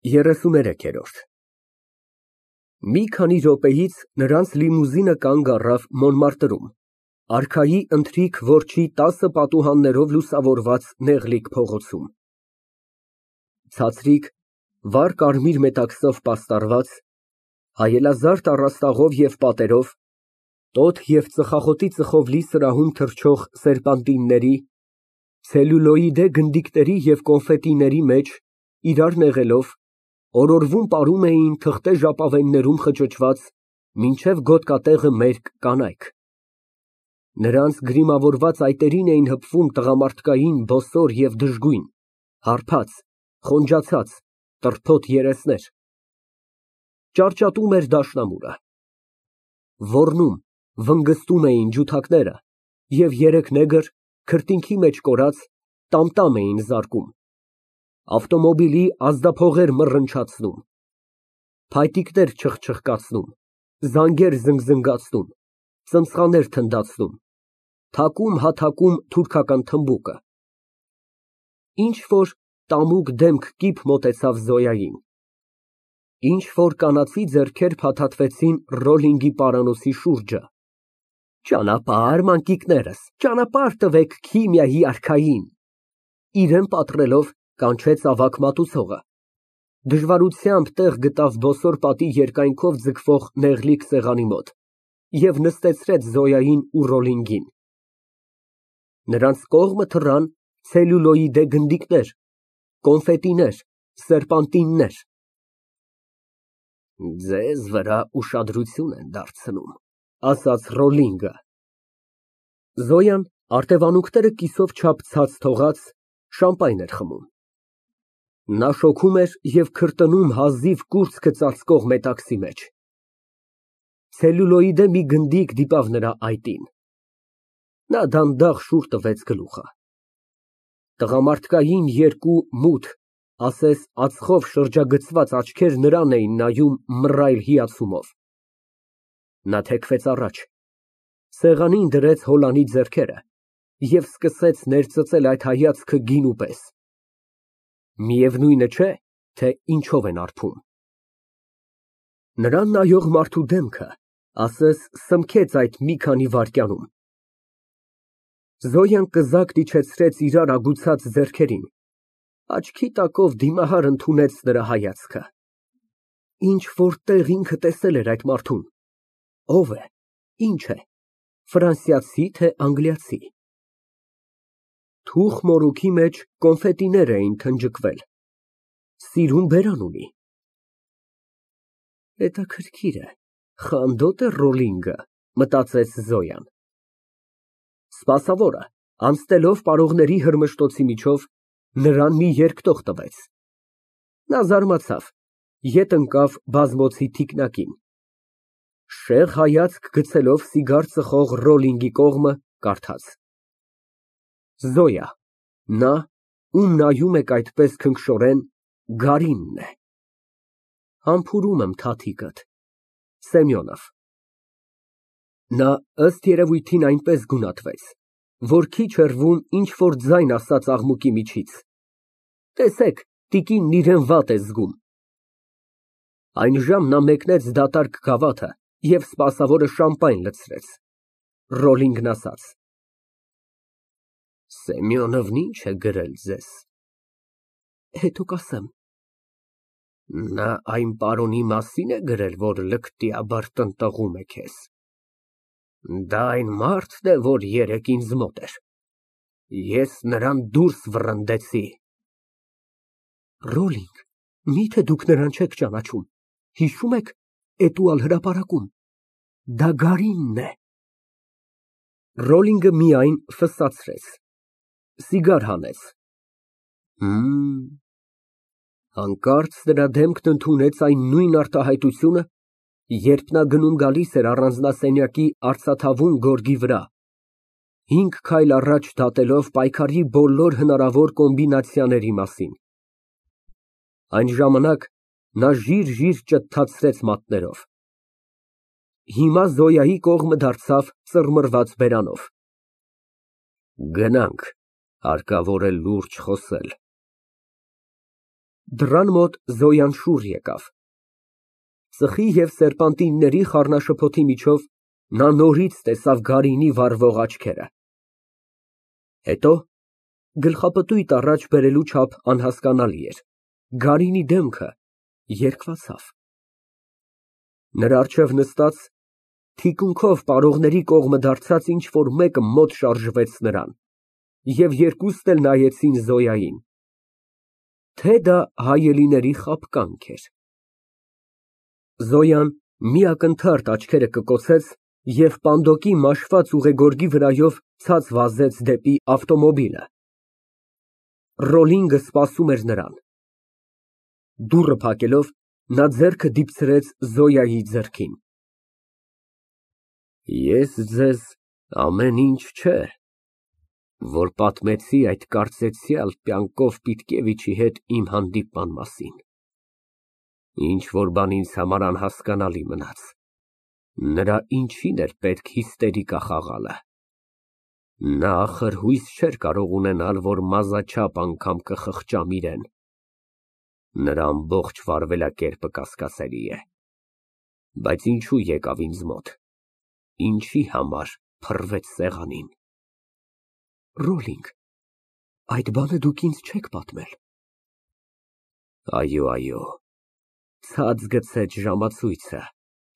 33-րդ Մի քանի րոպեից նրանց լիմուզինը կանգ առավ Մոնմարտրում, արքայի ընթրիք որջի 10 պատուհաններով լուսավորված նեղլիկ փողոցում։ Ցածրիկ, վառ կարմիր մետաքսով պաստառված, հայելազարդ առաստաղով և պատերով, տոթ և ծխախոտի ծխով լի սրահում թռչող սերպանտինների, ցելյուլոիդե գնդիկների և կոնֆետիների մեջ, իրար նեղելով, օրորվում պարում էին թղթե ժապավեններում խճճված, մինչև գոտկատեղը մերկ կանայք։ Նրանց գրիմավորված այտերին էին հպվում տղամարդկային բոսոր և դժգույն, հարբած, խոնջացած, տրփոտ երեսներ։ Ճարճատում էր դաշնամուրը։ Ոռնում, վնգստում էին ջութակները, և երեք նեգր, քրտինքի մեջ կորած, տամ էին զարկում, ավտոմոբիլի ազդափողեր մռնչացնում, փայտիկներ չխչխկացնում, զանգեր զնգզնգացնում, ծնցղաներ թնդացնում, թակում թուրքական թմբուկը։ Ինչ֊որ տամուկ դեմք կիպ մոտեցավ Զոյային։ Ինչ֊որ կանացի ձեռքեր փաթաթվեցին Ռոլլինգի պարանոցի շուրջը։ Ճանապարհ, մանկիկներս, ճանապարհ տվեք քիմիայի արքային, իրան պատռելով կանչեց ավագ մատուցողը։ Դժվարությամբ տեղ գտավ բոսոր պատի երկայնքով ձգվող նեղլիկ սեղանի մոտ և նստեցրեց Զոյային ու Ռոլլինգին։ Նրանց կողմը թռան ցելյուլոիդե գնդիկներ, կոնֆետիներ, սերպանտիններ։ Ձեզ վրա ուշադրություն են դարձնում, ասաց Ռոլլինգը։ Զոյան, արտևանունքները կիսով չափ ցած թողած, շամպայն էր խմում։ Նա շոգում էր և քրտնում հազիվ կուրծքը ծածկող մետաքսի մեջ։ Ցելյուլոիդե մի գնդիկ դիպավ նրա այտին։ Նա դանդաղ շուռ տվեց գլուխը։ Տղամարդկային երկու մութ, ասես ածխով շրջագծված աչքեր նրան էին նայում մռայլ հիացումով։ Նա թեքվեց առաջ, սեղանին դրեց հոլանի ձեռքերը և սկսեց ներծծել այդ հայացքը գինու պես։ Միևնույնը չէ, թե ինչով են արբում։ Նրան նայող մարդու դեմքը, ասես սմքեց այդ մի քանի վայրկյանում։ Զոյան կզակն իջեցրեց իրար ագուցած ձեռքերին, աչքի տակով դիմահար ընդունեց նրա հայացքը։ Ինչ֊որ տեղ ինքը տեսել էր այդ մարդուն։ Ո՞վ է, ի՞նչ է, ֆրանսիացի, թե անգլիացի։ Թուխ մորուքի մեջ կոնֆետիներ էին թնջկվել։ Սիրուն բերան ունի։ Հետաքրքիր է, խանդո՞տ է Ռոլլինգը, մտածեց Զոյան։ Սպասավորը, անցնելով պարողների հրմշտոցի միջով, նրան մի երկտող տվեց։ Նա զարմացավ, ետ ընկավ բազմոցի թիկնակին։ Շեղ հայացք գցելով սիգար ծխող Ռոլլինգի կողմը, կարդաց. Զոյա, նա, ում նայում եք այդպես քնքշորեն, Գարինն է։ Համբուրում եմ թաթիկդ։ Սեմյոնով։ Նա ըստ երևույթին այնպես գունատվեց, որ քիչ հեռվում ինչ֊որ ձայն ասաց աղմուկի միջից. Տեսեք, տիկինն իրան վատ է զգում։ Այնժամ նա մեկնեց դատարկ գավաթը և սպասավորը շամպայն լցրեց։ Ռոլլինգն ասաց. Սեմյոնովն ի՞նչ է գրել ձեզ։ Հետո կասեմ։ Նա այն պարոնի մասին է գրել, որ լկտիաբար տնտղում է քեզ։ Դա այն մարդն է, որ երեկ ինձ մոտ էր։ Ես նրան դուրս վռնդեցի։ Ռոլլինգ, միթե դուք նրան չեք ճանաչում, հիշո՞ւմ եք Էտուալ հրապարակում։ Դա Գարինն է։ Ռոլլինգը միայն ֆսսացրեց, սիգար հանեց։ Հանկարծ նրա դեմքն ընդունեց այն նույն արտահայտությունը, երբ նա գնում֊գալիս էր առանձնասենյակի արծաթավուն գորգի վրա, 5 քայլ առաջ դատելով պայքարի բոլոր հնարավոր կոմբինացիաների մասին։ Այն ժամանակ նա ժիր ճթթացրեց մատներով։ Հիմա Զոյայի կողմը դարձավ ծռմռված բերանով։ Գնանք, հարկավոր է լուրջ խոսել։ Դռան մոտ Զոյան շուռ եկավ։ Ծխի և սերպանտինների խառնաշփոթի միջով նա նորից տեսավ Գարինի վառվող աչքերը։ Հետո գլխապտույտ առաջ բերելու չափ անհասկանալի էր, Գարինի դեմքը երկվացավ։ Նրա առջև նստած, թիկունքով պարողների կողմը դարձած ինչ֊որ մեկը մոտ շարժվեց նրան, և երկուսն էլ նայեցին Զոյային, թե դա հայելիների խաբկանք էր։ Զոյան մի ակնթարթ աչքերը կկոցեց և պանդոկի մաշված ուղեգորգի վրայով ցած վազեց դեպի ավտոմոբիլը։ Ռոլինգը սպասում էր նրան։ Դուռը փակելով, նա ձեռքը դիպցրեց Զոյայի ձեռքին։ Ես ձեզ ամեն ինչ չէ, որ պատմեցի այդ կարծեցյալ Պյանկով Պիտկևիչի հետ իմ հանդիպման մասին, ինչ֊որ բան ինձ համար անհասկանալի մնաց, նրա ինչին էր պետք հիստերիկա խաղալը։ Նա ախր հույս չէր կարող ունենալ, որ մազաչափ անգամ կխղճամ իրեն։ Նրա ամբողջ վարվելակերպը կասկածելի է։ Բայց ինչու եկավ ինձ մոտ, ինչի համար փռվեց սեղանին։ Ռոլինգ, այդ բանը դուք ինձ չեք պատմել։ Այո, ցած գցեց ժամացույցը,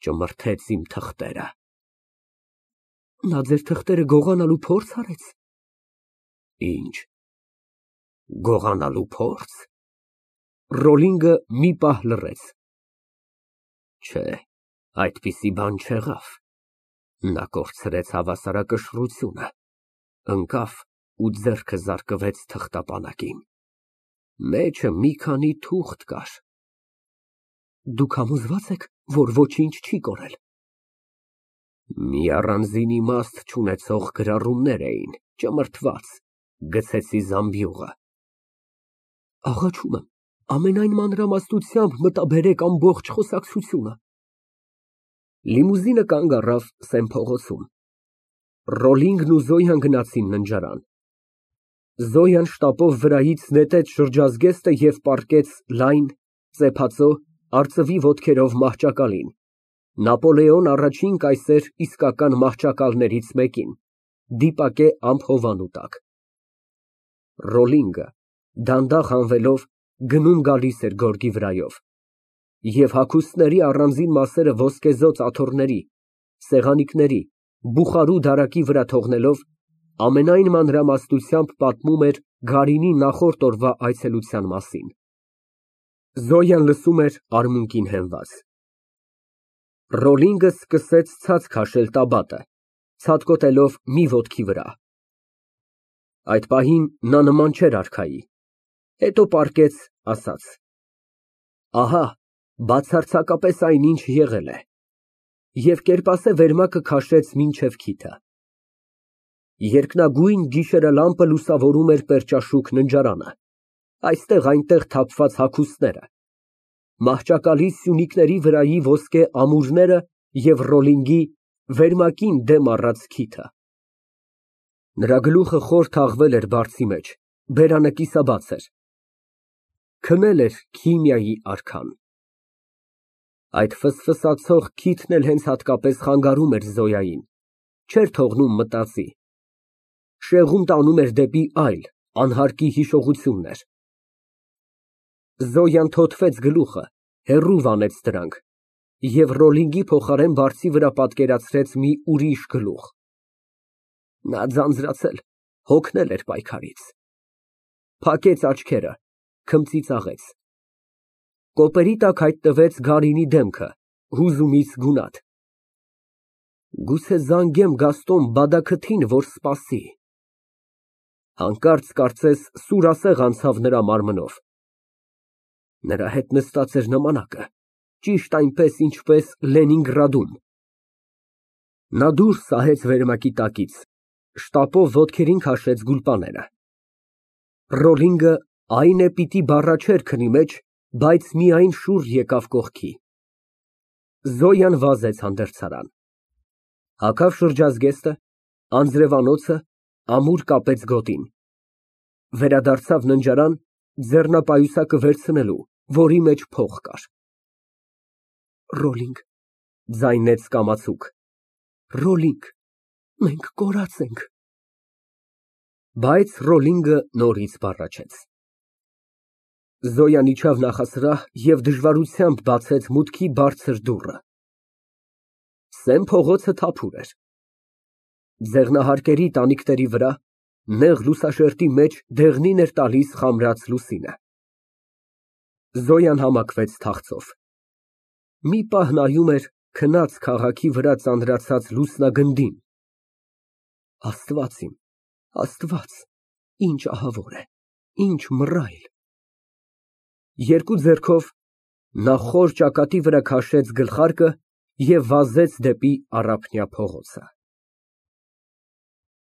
ճմրթեց իմ թղթերը։ Նա ձեր թղթերը գողանալու փորձ արեց։ Ինչ, գողանալու փորձ։ Ռոլինգը մի պահ լռեց։ Չէ, այդպիսի բան չեղավ։ Նա կորցրեց հավասարակշռությունը, ընկավ ու ձեռքը զարկվեց թղթապանակին։ Մեջը մի քանի թուղթ կար։ Դուք համոզվա՞ծ եք, որ ոչինչ չի կորել։ Մի առանձին իմաստ չունեցող գրառումներ էին, ճմրթված, գցեցի զամբյուղը։ Աղաչում եմ, ամենայն մանրամասնությամբ մտաբերեք ամբողջ խոսակցությունը։ Լիմուզինը կանգ առավ Սեն փողոցում։ Ռոլինգն ու Զոյան գնացին ննջարան։ Զոյան շտապով վրայից նետեց շրջազգեստը և պառկեց լայն, ծեփածո, արծվի ոտքերով մահճակալին, Նապոլեոն I կայսեր իսկական մահճակալներից մեկին, դիպակե ամփովանու տակ։ Ռոլինգը դանդաղ հանվելով գնում֊գալիս էր գորգի վրայով, և հագուստների առանձին մասերը ոսկեզօծ աթոռների, սեղանիկների, բուխարու դարակի վրա թողնելով, ամենայն մանրամասնությամբ պատմում էր Գարինի նախորդ օրվա այցելության մասին։ Զոյան լսում էր արմունկին հենված։ Ռոլինգը սկսեց ցած քաշել տաբատը, ցատկոտելով մի ոտքի վրա։ Այդ պահին նա նման չէր արքայի, հետո պառկեց, ասաց. Ահա, բացարձակապես այնինչ եղել է, և կերպասե վերմակը քաշեց մինչև քիթը։ Երկնագույն գիշերալամպը լուսավորում էր պերճաշուք ննջարանը, այստեղ֊այնտեղ թափված հագուստները, մահճակալի սյունիկների վրայի ոսկե ամուրները և Ռոլինգի վերմակին դեմ առած քիթը։ Նրա գլուխը խոր թաղվել էր բարձի մեջ, բերանը կիսաբաց էր։ Քնել էր քիմիայի արքան։ Այդ ֆսֆսացող քիթն էլ հենց հատկապես խանգարում էր Զոյային, չէր թողնում մտածի, շեղում տանում էր դեպի այլ, անհարկի հիշողություններ։ Զոյան թոթվեց գլուխը, հեռու վանեց դրանք և Ռոլինգի փոխարեն բարձի վրա պատկերացրեց մի ուրիշ գլուխ։ Նա ձանձրացել, հոգնել էր պայքարից։ Փակեց աչքերը, քմծիծաղեց։ Կոպերի տակ հայտնվեց Գարինի դեմքը, հուզումից գունատ։ Գուցե զանգեմ Գաստոն Բադաքթին, որ սպասի։ Հանկարծ կարծես սուրասեղ անցավ նրա մարմնով։ Նրա հետ նստած էր նամանակը, ճիշտ այնպես, ինչպես Լենինգրադում։ Նա դուրս սահեց վերմակի տակից, շտապով ոտքերին քաշեց գուլպաները։ Ռոլինգը, այն է, պիտի բառաչեր քնի մեջ, բայց միայն շուռ եկավ կողքի։ Զոյան վազեց հանդերձարան։ Հագավ շրջազգեստը, անձրևանոցը, ամուր կապեց գոտին։ Վերադարձավ ննջարան, ձեռնապայուսակը վերցնելու, որի մեջ փող կար։ Ռոլինգ, ձայնեց կամացուկ, Ռոլինգ, մենք կորած ենք։ Բայց Ռոլինգը նորից բառաչեց։ Զոյան իջավ նախասրահ և դժվարությամբ բացեց մուտքի բարձր դուռը։ Սեն փողոցը թափուր էր։ Ձեղնահարկերի տանիքների վրա, նեղ լուսաշերտի մեջ դեղնին էր տալիս խամրած լուսինը։ Զոյան համակվեց թախծով։ Մի պահ նայում էր քնած քաղաքի վրա ծանրացած լուսնագնդին։ Աստված իմ, Աստված, ինչ ահավոր է, ինչ մռայլ։ Երկու ձեռքով նա խոր ճակատի վրա քաշեց գլխարկը և վազեց դեպի Առափնյա փողոցը։